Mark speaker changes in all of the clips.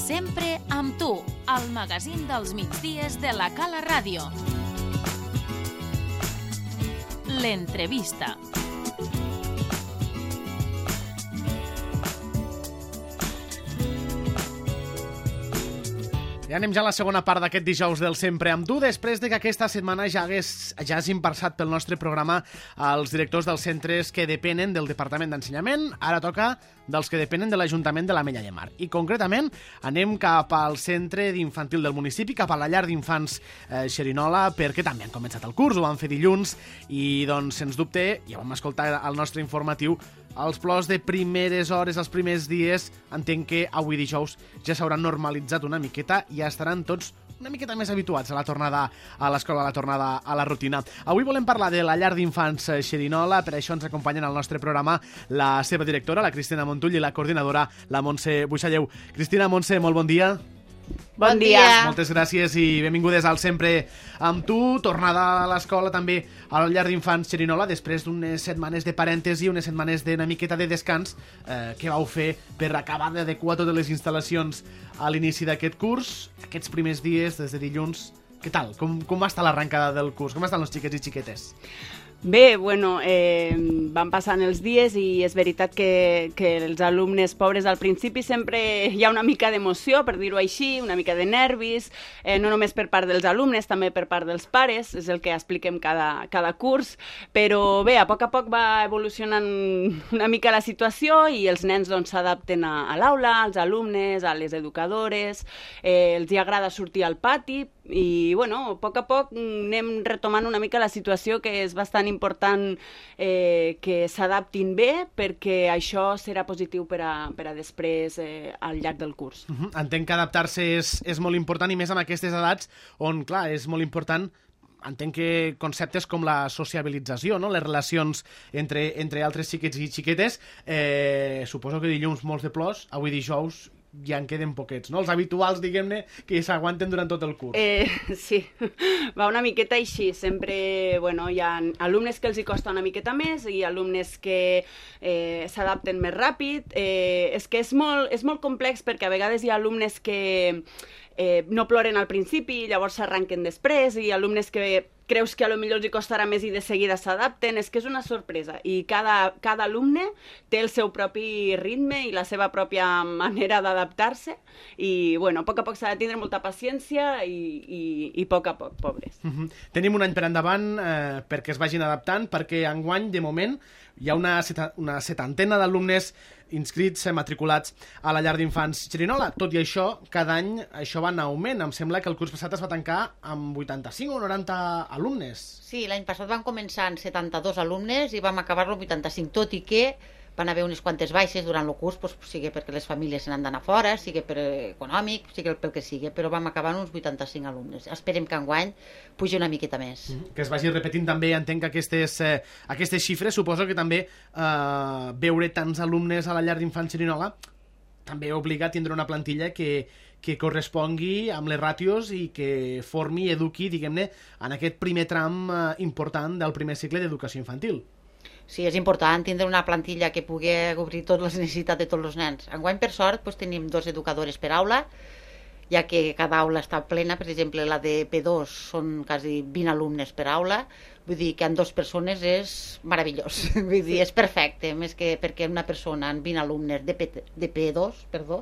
Speaker 1: Sempre amb tu, el magazín dels migdies de la Cala Ràdio. L'entrevista.
Speaker 2: I anem ja a la segona part d'aquest dijous del Sempre amb tu, després de que aquesta setmana ja hagin passat pel nostre programa els directors dels centres que depenen del Departament d'Ensenyament. Ara toca dels que depenen de l'Ajuntament de l'Ametlla de Mar. I concretament anem cap al centre d'infantil del municipi, cap a la llar d'infants Xerinola, perquè també han començat el curs, ho van fer dilluns, i doncs, sens dubte, ja vam escoltar al nostre informatiu, els plors de primeres hores, els primers dies, entenc que avui dijous ja s'hauran normalitzat una miqueta i ja estaran tots una miqueta més habituats a la tornada a l'escola, a la tornada a la rutina. Avui volem parlar de la llar d'infants Xerinola, per això ens acompanyen al nostre programa la seva directora, la Cristina Montull, i la coordinadora, la Montse Buixalleu. Cristina, Montse, molt bon dia.
Speaker 3: Bon dia.
Speaker 2: Moltes gràcies i benvingudes al Sempre amb tu. Tornada a l'escola també a la llar d'infants Xerinola després d'unes setmanes de parèntesi, unes setmanes d'una miqueta de descans que vau fer per acabar d'adequar totes les instal·lacions a l'inici d'aquest curs. Aquests primers dies, des de dilluns, què tal? Com va estar l'arrencada del curs? Com estan els xiquets i xiquetes?
Speaker 3: Bé, bueno, van passant els dies i és veritat que els alumnes pobres al principi sempre hi ha una mica d'emoció, per dir-ho així, una mica de nervis, no només per part dels alumnes, també per part dels pares, és el que expliquem cada curs, però bé, a poc va evolucionant una mica la situació i els nens doncs s'adapten a l'aula, als alumnes, a les educadores, els hi agrada sortir al pati i, bueno, a poc anem retomant una mica la situació, que és bastant important que s'adaptin bé, perquè això serà positiu per a després al llarg del curs.
Speaker 2: Entenc que adaptar-se és molt important, i més amb aquestes edats on, clar, és molt important. Entenc que conceptes com la sociabilització, no? Les relacions entre altres xiquets i xiquetes, suposo que dilluns molts de plors, avui dijous ja en queden poquets, no? Els habituals, diguem-ne, que s'aguanten durant tot el curs.
Speaker 3: Sí, va una miqueta així. Sempre, bueno, hi ha alumnes que els hi costa una miqueta més i alumnes que s'adapten més ràpid. És que és molt complex, perquè a vegades hi ha alumnes que no ploren al principi i llavors s'arranquen després, i alumnes que creus que potser els hi costarà més i de seguida s'adapten. És que és una sorpresa i cada alumne té el seu propi ritme i la seva pròpia manera d'adaptar-se i, bueno, a poc s'ha de tindre molta paciència i a poc, pobres.
Speaker 2: Tenim un any per endavant perquè es vagin adaptant, perquè enguany, de moment, hi ha una setantena d'alumnes inscrits, matriculats a la llar d'infants Xerinola. Tot i això, cada any això va en augment. Em sembla que el curs passat es va tancar amb 85 o 90 alumnes.
Speaker 4: Sí, l'any passat vam començar amb 72 alumnes i vam acabar-lo amb 85, tot i que van haver unes quantes baixes durant el curs, sigui perquè les famílies se n'han d'anar fora, sigui per econòmic, sigui pel que sigui, però vam acabar amb uns 85 alumnes. Esperem que enguany pugi una miqueta més.
Speaker 2: Que es vagi repetint també, entenc que aquestes xifres, suposo que també veure tants alumnes a la llar d'infants Xerinola també obliga a tindre una plantilla que correspongui amb les ràtios i que formi i eduqui, diguem-ne, en aquest primer tram important del primer cicle d'educació infantil.
Speaker 4: Sí, és important tindre una plantilla que pugui cobrir totes les necessitats de tots els nens. Enguany, per sort, tenim 2 educadores per aula, ja que cada aula està plena. Per exemple, la de P2 són quasi 20 alumnes per aula. Vull dir que amb 2 persones és meravellós. Vull dir, és perfecte, més que perquè una persona amb 20 alumnes de P2,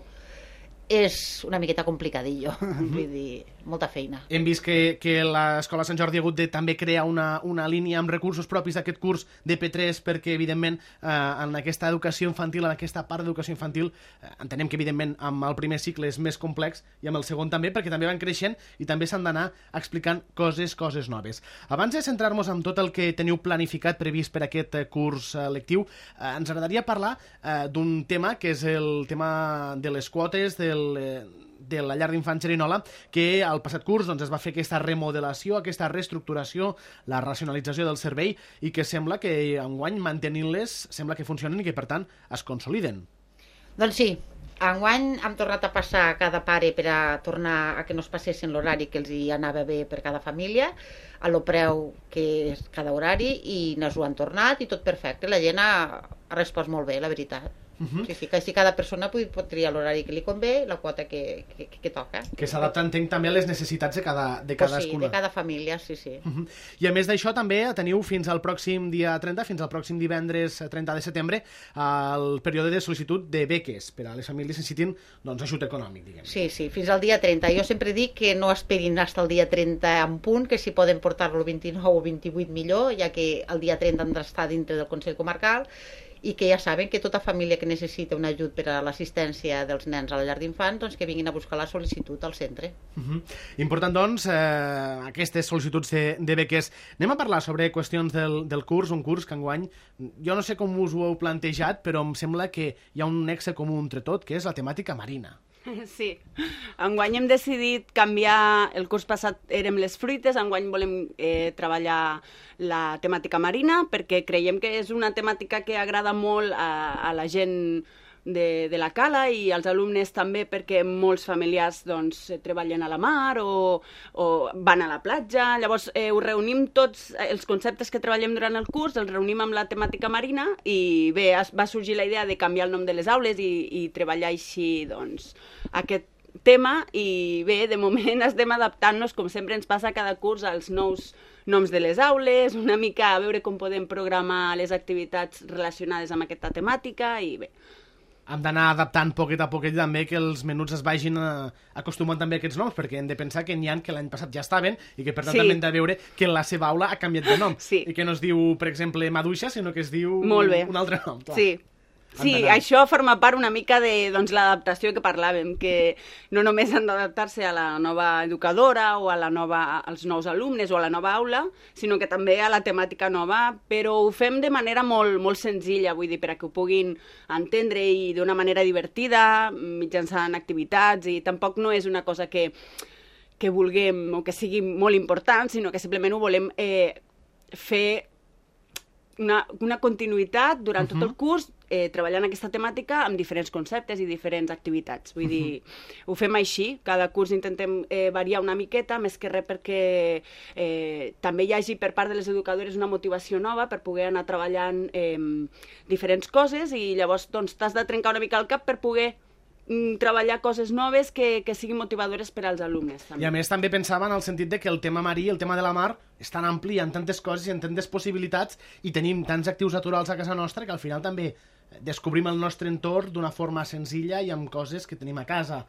Speaker 4: és una miqueta complicadillo. Vull dir, molta feina.
Speaker 2: Hem vist que l'Escola Sant Jordi ha hagut de també crear una línia amb recursos propis d'aquest curs de P3, perquè, evidentment, en aquesta educació infantil, en aquesta part d'educació infantil, entenem que, evidentment, amb el primer cicle és més complex, i amb el segon també, perquè també van creixent i també s'han d'anar explicant coses noves. Abans de centrar-nos en tot el que teniu planificat, previst per aquest curs lectiu, ens agradaria parlar d'un tema, que és el tema de les quotes, de la llar d'infants Xerinola, que al passat curs es va fer aquesta remodelació, aquesta reestructuració, la racionalització del servei, i que sembla que enguany, mantenint-les, sembla que funcionen i que, per tant, es consoliden.
Speaker 4: Doncs sí, enguany hem tornat a passar cada pare per a tornar a que no es passessin l'horari que els hi anava bé per cada família, a lo preu que és cada horari, i ens ho han tornat i tot perfecte. La gent ha respost molt bé, la veritat. Sí, que així cada persona pot triar l'horari que li convé i la quota que toca.
Speaker 2: Que s'adapta, entenc, també a les necessitats de cadascuna.
Speaker 4: Sí, de cada família, sí.
Speaker 2: I a més d'això també teniu fins al pròxim dia 30, fins al pròxim divendres 30 de setembre, el període de sol·licitud de beques per a les famílies que necessitin ajut econòmic, diguem.
Speaker 4: Sí, fins al dia 30. Jo sempre dic que no esperin fins al dia 30 en punt, que si poden portar-lo el 29 o 28 millor, ja que el dia 30 han d'estar dintre del Consell Comarcal, i que ja saben que tota família que necessita un ajut per a l'assistència dels nens a la llar d'infants, doncs que vinguin a buscar la sol·licitud al centre.
Speaker 2: Important, doncs, aquestes sol·licituds de beques. Anem a parlar sobre qüestions del curs, un curs que enguany, jo no sé com us ho heu plantejat, però em sembla que hi ha un nexe comú entre tot, que és la temàtica marina.
Speaker 3: Sí, enguany hem decidit canviar, el curs passat érem les fruites, enguany volem treballar la temàtica marina perquè creiem que és una temàtica que agrada molt a la gent de la Cala i als alumnes també, perquè molts familiars treballen a la mar o van a la platja. Llavors ho reunim tots els conceptes que treballem durant el curs, els reunim amb la temàtica marina i bé, va sorgir la idea de canviar el nom de les aules i treballar així aquest tema i bé, de moment estem adaptant-nos, com sempre ens passa cada curs, als nous noms de les aules, una mica a veure com podem programar les activitats relacionades amb aquesta temàtica i bé.
Speaker 2: Hem d'anar adaptant poquet a poquet també que els menuts es vagin acostumant també a aquests noms, perquè hem de pensar que n'hi ha que l'any passat ja estaven i que per tant també hem de veure que la seva aula ha canviat de nom i que no es diu, per exemple, Maduixa, sinó que es diu un altre nom. Clar.
Speaker 3: Sí, això forma part una mica de l'adaptació que parlàvem, que no només han d'adaptar-se a la nova educadora o als nous alumnes o a la nova aula, sinó que també a la temàtica nova, però ho fem de manera molt, molt senzilla, vull dir, perquè ho puguin entendre i d'una manera divertida, mitjançant activitats, i tampoc no és una cosa que vulguem o que sigui molt important, sinó que simplement ho volem fer una continuïtat durant tot el curs, treballant aquesta temàtica amb diferents conceptes i diferents activitats. Vull dir, ho fem així, cada curs intentem variar una miqueta, més que res perquè també hi hagi per part de les educadores una motivació nova per poder anar treballant diferents coses i llavors t'has de trencar una mica el cap per poder treballar coses noves que siguin motivadores per als alumnes. També.
Speaker 2: I a més també pensava en el sentit de que el tema marí, el tema de la mar, és tan ampli, hi ha tantes coses i en tantes possibilitats i tenim tants actius naturals a casa nostra que al final també descobrim el nostre entorn d'una forma senzilla i amb coses que tenim a casa.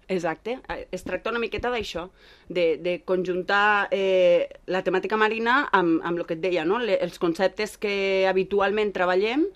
Speaker 3: Exacte, es tracta una miqueta d'això, de conjuntar la temàtica marina amb el que et deia, no? Els conceptes que habitualment treballem,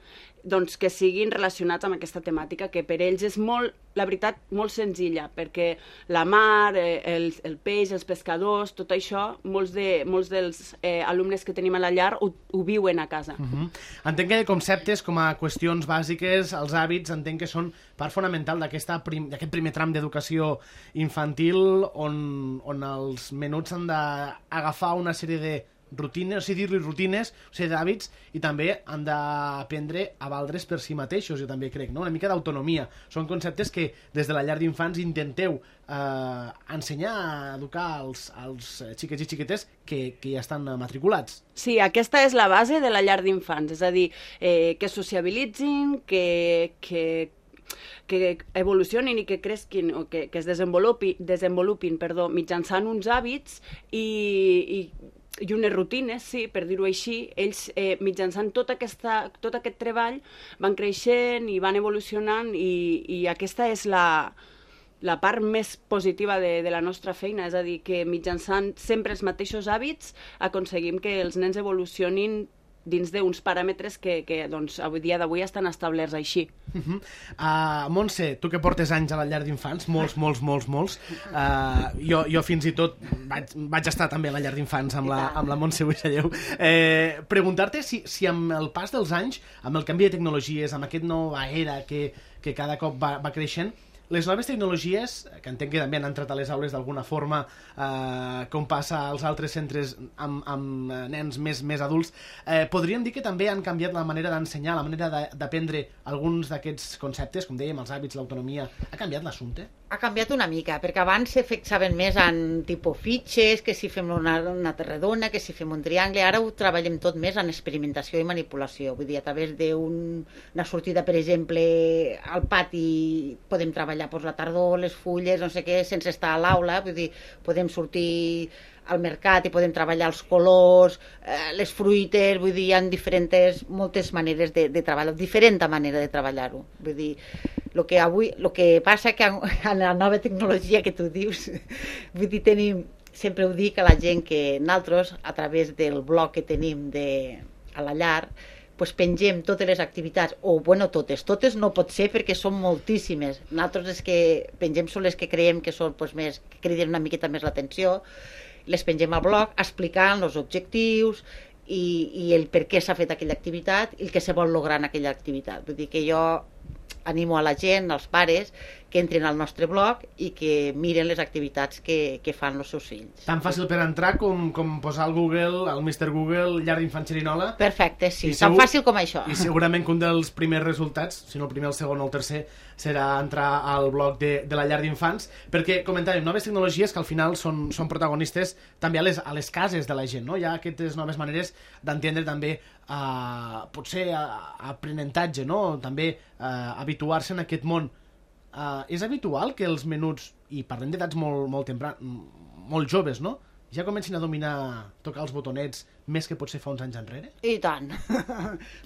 Speaker 3: doncs que siguin relacionats amb aquesta temàtica, que per ells és molt, la veritat, molt senzilla, perquè la mar, el peix, els pescadors, tot això, molts dels alumnes que tenim a la llar ho viuen a casa.
Speaker 2: Entenc que conceptes com a qüestions bàsiques, els hàbits, entenc que són part fonamental d'aquest primer tram d'educació infantil on els menuts han d'agafar una sèrie de rutines, o sigui, dir-li rutines, o sigui, d'hàbits, i també han d'aprendre a valdre's per si mateixos, jo també crec, no? Una mica d'autonomia. Són conceptes que des de la llar d'infants intenteu ensenyar a educar als xiquets i xiquetes que ja estan matriculats.
Speaker 3: Sí, aquesta és la base de la llar d'infants, és a dir, que sociabilitzin, que evolucionin i que cresquin o que es desenvolupin mitjançant uns hàbits i unes rutines, sí, per dir-ho així. Ells, mitjançant tot aquest treball, van creixent i van evolucionant i aquesta és la part més positiva de la nostra feina, és a dir, que mitjançant sempre els mateixos hàbits aconseguim que els nens evolucionin dins d'uns paràmetres que doncs, avui dia d'avui estan establerts així.
Speaker 2: Montse, tu que portes anys a la llar d'infants, molts, jo fins i tot vaig estar també a la llar d'infants amb la Montse Buixalleu, preguntar-te si amb el pas dels anys, amb el canvi de tecnologies, amb aquesta nova era que cada cop va creixent, les noves tecnologies, que entenc que també han entrat a les aules d'alguna forma, com passa als altres centres amb nens més adults, podríem dir que també han canviat la manera d'ensenyar, la manera d'aprendre alguns d'aquests conceptes, com dèiem, els hàbits, l'autonomia. Ha canviat l'assumpte?
Speaker 4: Ha canviat una mica, perquè abans se fixaven més en tipus fitxes, que si fem una redona, que si fem un triangle. Ara ho treballem tot més en experimentació i manipulació. Vull dir, a través d'una sortida, per exemple, al pati podem treballar la tardor, les fulles, no sé què, sense estar a l'aula. Vull dir, podem sortir al mercat i podem treballar els colors, les fruites, vull dir, hi ha moltes maneres de treballar, diferent manera de treballar-ho. Vull dir, el que passa que en la nova tecnologia que tu dius, vull dir, sempre ho dic a la gent que nosaltres, a través del blog que tenim a la llar, pues pengem totes les activitats, o bueno, totes no pot ser perquè són moltíssimes. Nosaltres les que pengem són les que creiem que són pues, més, que criden una miqueta més l'atenció, les pengem al blog explicant els objectius i el per què s'ha fet aquella activitat i el que se vol lograr en aquella activitat. Vull dir que jo animo a la gent, als pares, que entrin al nostre blog i que miren les activitats que fan els seus fills.
Speaker 2: Tan fàcil per entrar com posar al Google, al Mr. Google, llar d'infant Xerinola.
Speaker 4: Perfecte, sí, tan fàcil com això.
Speaker 2: I segurament que un dels primers resultats, si no el primer, el segon o el tercer, serà entrar al blog de la llar d'infants, perquè comentàvem noves tecnologies que al final són protagonistes també a les cases de la gent, no? Hi ha aquestes noves maneres d'entendre també potser aprenentatge, no? També habituar-se en aquest món. És habitual que els menuts, i parlem d'edats molt joves, no? Ja comencin a dominar, tocar els botonets més que potser fa uns anys enrere?
Speaker 4: I tant.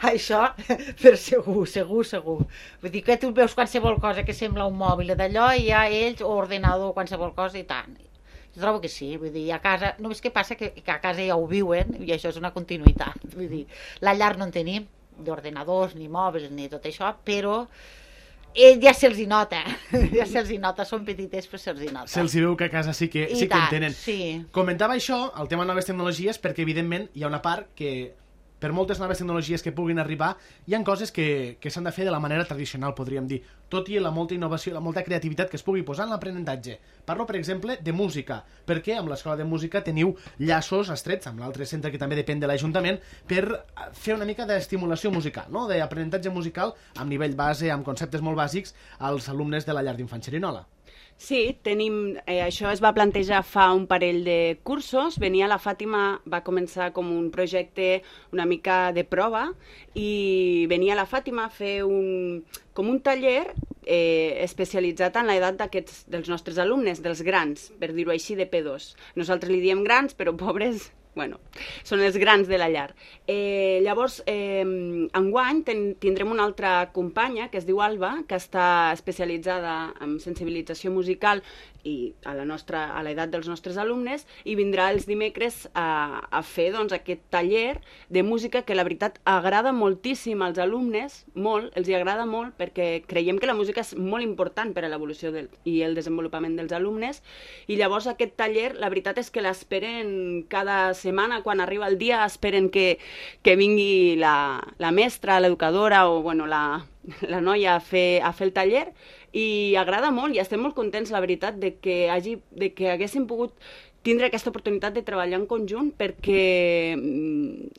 Speaker 4: Això, per segur. Vull dir que tu veus qualsevol cosa que sembla un mòbil d'allò i ja ells, o ordenador, qualsevol cosa, i tant. Jo trobo que sí, vull dir, a casa, només que passa que a casa ja ho viuen i això és una continuïtat. Vull dir, la llar no en tenim d'ordenadors, ni mòbils, ni tot això, però ja se'ls hi nota, són petites però se'ls hi nota.
Speaker 2: Se'ls hi veu que a casa sí que en tenen.
Speaker 4: Sí.
Speaker 2: Comentava això, el tema de noves tecnologies, perquè evidentment hi ha una part que per moltes noves tecnologies que puguin arribar, hi ha coses que s'han de fer de la manera tradicional, podríem dir, tot i la molta innovació, la molta creativitat que es pugui posar en l'aprenentatge. Parlo, per exemple, de música, perquè amb l'escola de música teniu llaços estrets amb l'altre centre que també depèn de l'Ajuntament per fer una mica d'estimulació musical, no? D'aprenentatge musical amb nivell base, amb conceptes molt bàsics als alumnes de la llar d'infant Xerinola.
Speaker 3: Sí, això es va plantejar fa un parell de cursos. Venia la Fàtima, va començar com un projecte una mica de prova i venia la Fàtima a fer com un taller especialitzat en l'edat dels nostres alumnes, dels grans, per dir-ho així, de P2. Nosaltres li diem grans, però pobres... Bueno, són els grans de la llar. Llavors, enguany tindrem una altra companya que es diu Alba, que està especialitzada en sensibilització musical i a l'edat dels nostres alumnes, i vindrà els dimecres a fer aquest taller de música que la veritat agrada moltíssim als alumnes, molt, els hi agrada molt, perquè creiem que la música és molt important per a l'evolució i el desenvolupament dels alumnes, i llavors aquest taller, la veritat és que l'esperen cada setmana, quan arriba el dia, esperen que vingui la mestra, l'educadora o la noia a fer el taller, i agrada molt i estem molt contents, la veritat, de que haguéssim pogut tindre aquesta oportunitat de treballar en conjunt, perquè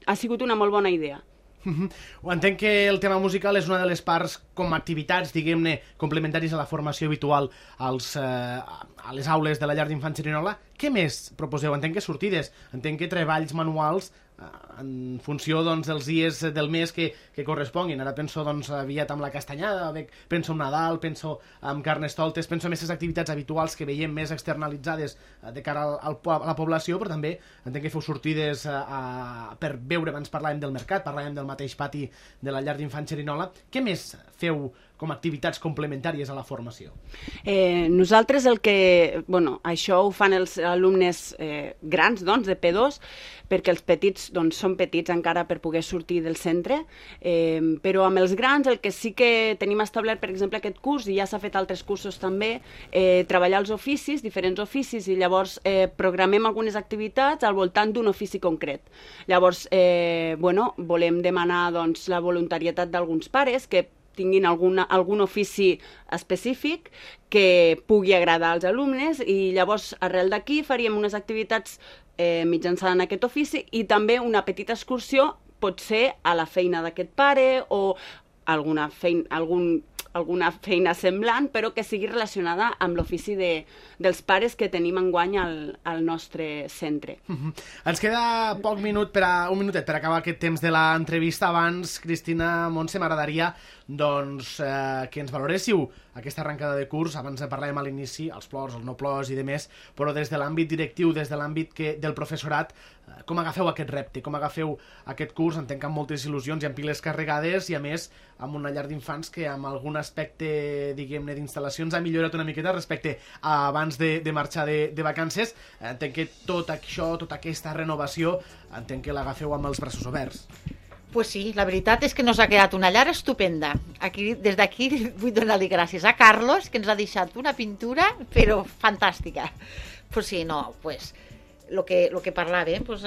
Speaker 3: ha sigut una molt bona idea.
Speaker 2: Entenc que el tema musical és una de les parts com a activitats, diguem-ne, complementaris a la formació habitual a les aules de la llar d'infant Xerinola. Què més proposeu? Entenc que sortides, entenc que treballs manuals en funció dels dies del mes que corresponguin. Ara penso aviat amb la castanyada, penso en Nadal, penso en Carnestoltes, penso en aquestes activitats habituals que veiem més externalitzades de cara a la població, però també entenc que feu sortides per veure, abans parlàvem del mercat, parlàvem del mateix pati de la llar d'infant Xerinola. Què més feu com a activitats complementàries a la formació?
Speaker 3: Nosaltres això ho fan els alumnes grans, de P2, perquè els petits són petits encara per poder sortir del centre, però amb els grans el que sí que tenim establert, per exemple, aquest curs, i ja s'ha fet altres cursos també, treballar els oficis, diferents oficis, i llavors programem algunes activitats al voltant d'un ofici concret. Llavors, volem demanar la voluntarietat d'alguns pares que tinguin algun ofici específic que pugui agradar als alumnes, i llavors arrel d'aquí faríem unes activitats mitjançant aquest ofici i també una petita excursió, pot ser a la feina d'aquest pare o algun alguna feina semblant, però que sigui relacionada amb l'ofici dels pares que tenim enguany al nostre centre.
Speaker 2: Ens queda un minutet per acabar aquest temps de l'entrevista. Abans, Cristina, Montse, m'agradaria que ens valoréssiu aquesta arrencada de curs. Abans parlàvem a l'inici, els plors, els no plors i demés, però des de l'àmbit directiu, des de l'àmbit del professorat, com agafeu aquest repte, com agafeu aquest curs? Entenc que amb moltes il·lusions i amb piles carregades i, a més, amb una llar d'infants que amb algun aspecte, diguem-ne, d'instal·lacions ha millorat una miqueta respecte a abans de marxar de vacances. Entenc que tot això, tota aquesta renovació, entenc que l'agafeu amb els braços oberts.
Speaker 4: Pues sí, la veritat és que nos ha quedat una llar estupenda. Des d'aquí vull donar-li gràcies a Carlos, que ens ha deixat una pintura, però fantàstica. Pues sí, no, pues lo que parlava, pues,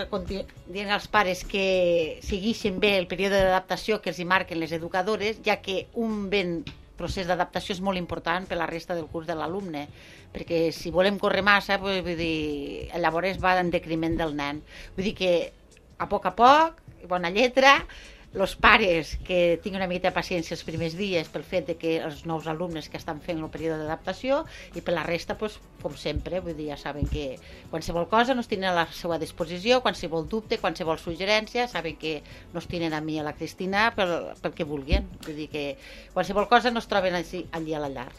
Speaker 4: dient als pares que segueixin bé el període d'adaptació que els hi marquen les educadores, ja que un ben procés d'adaptació és molt important per la resta del curs de l'alumne, perquè si volem córrer massa, pues, vull dir, llavors va en decriment del nen. Vull dir que a poc, bona lletra, els pares que tinguin una mica de paciència els primers dies pel fet de que els nous alumnes que estan fent el període d'adaptació, i per la resta, pues, com sempre, vull dir, ja saben que qualsevol cosa nos tenen a la seva disposició, qualsevol dubte, qualsevol suggerència, saben que nos tenen a mi i a la Cristina pel que vulguin. Vull dir que qualsevol cosa nos troben allí a la llar.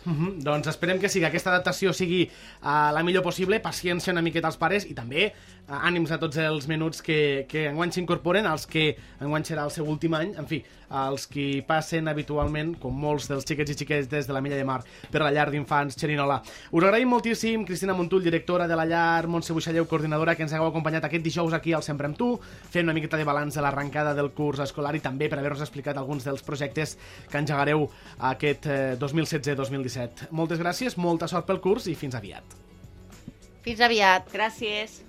Speaker 2: Doncs esperem que aquesta adaptació sigui la millor possible, paciència una miqueta als pares i també ànims a tots els menuts que enguany s'incorporen, els que enguany serà el seu últim any, en fi, els que passen habitualment, com molts dels xiquets i xiquetes de la Milla de Mar, per la llar d'infants Xerinola. Us agraïm moltíssim, Cristina Montull, directora de la llar, Montse Buixalleu, coordinadora, que ens hagueu acompanyat aquest dijous aquí al Sempre amb tu, fent una miqueta de balanç de l'arrencada del curs escolar i també per haver-nos explicat alguns dels projectes que engegareu aquest 2016-2017. Moltes gràcies, molta sort pel curs i fins aviat.
Speaker 4: Fins aviat.
Speaker 3: Gràcies.